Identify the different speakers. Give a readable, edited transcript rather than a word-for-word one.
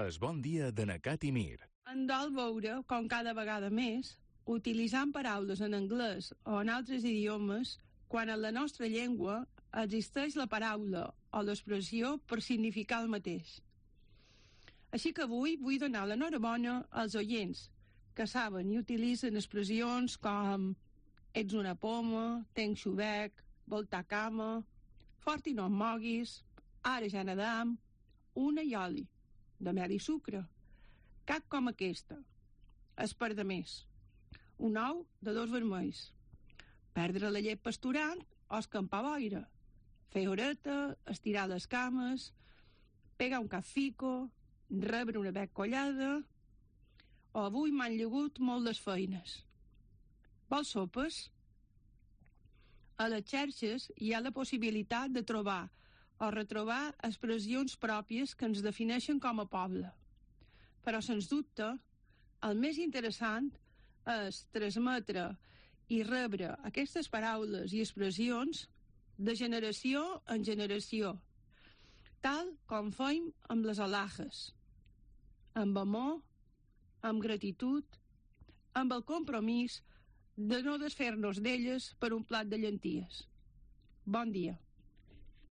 Speaker 1: Es bon dia de Nacat i Mir.
Speaker 2: Em dol veure com cada vegada més, utilitzant paraules en anglès o en altres idiomes, quan en la nostra llengua existeix la paraula o l'expressió per significar el mateix. Així que avui vull donar l'enhorabona als oients que saben i utilitzen expressions com ets una poma, tenc xubec, voltar cama, fort i no em moguis, ara ja nedam, una i oli, de mel i sucre, cap com aquesta, espar de més, un ou de 2 vermells, perdre la llet pasturant o escampar boira, fer horeta, estirar les cames, pegar un cap fico, rebre una bec collada, o avui m'han llegut molt les feines. Vols sopes? A les xarxes hi ha la possibilitat de trobar o retrobar expressions pròpies que ens defineixen com a poble. Però, sens dubte, el més interessant és transmetre i rebre aquestes paraules i expressions de generació en generació, tal com fem amb les alhajas, amb amor, amb gratitud, amb el compromís de no desfer-nos d'elles per un plat de llenties. Bon dia.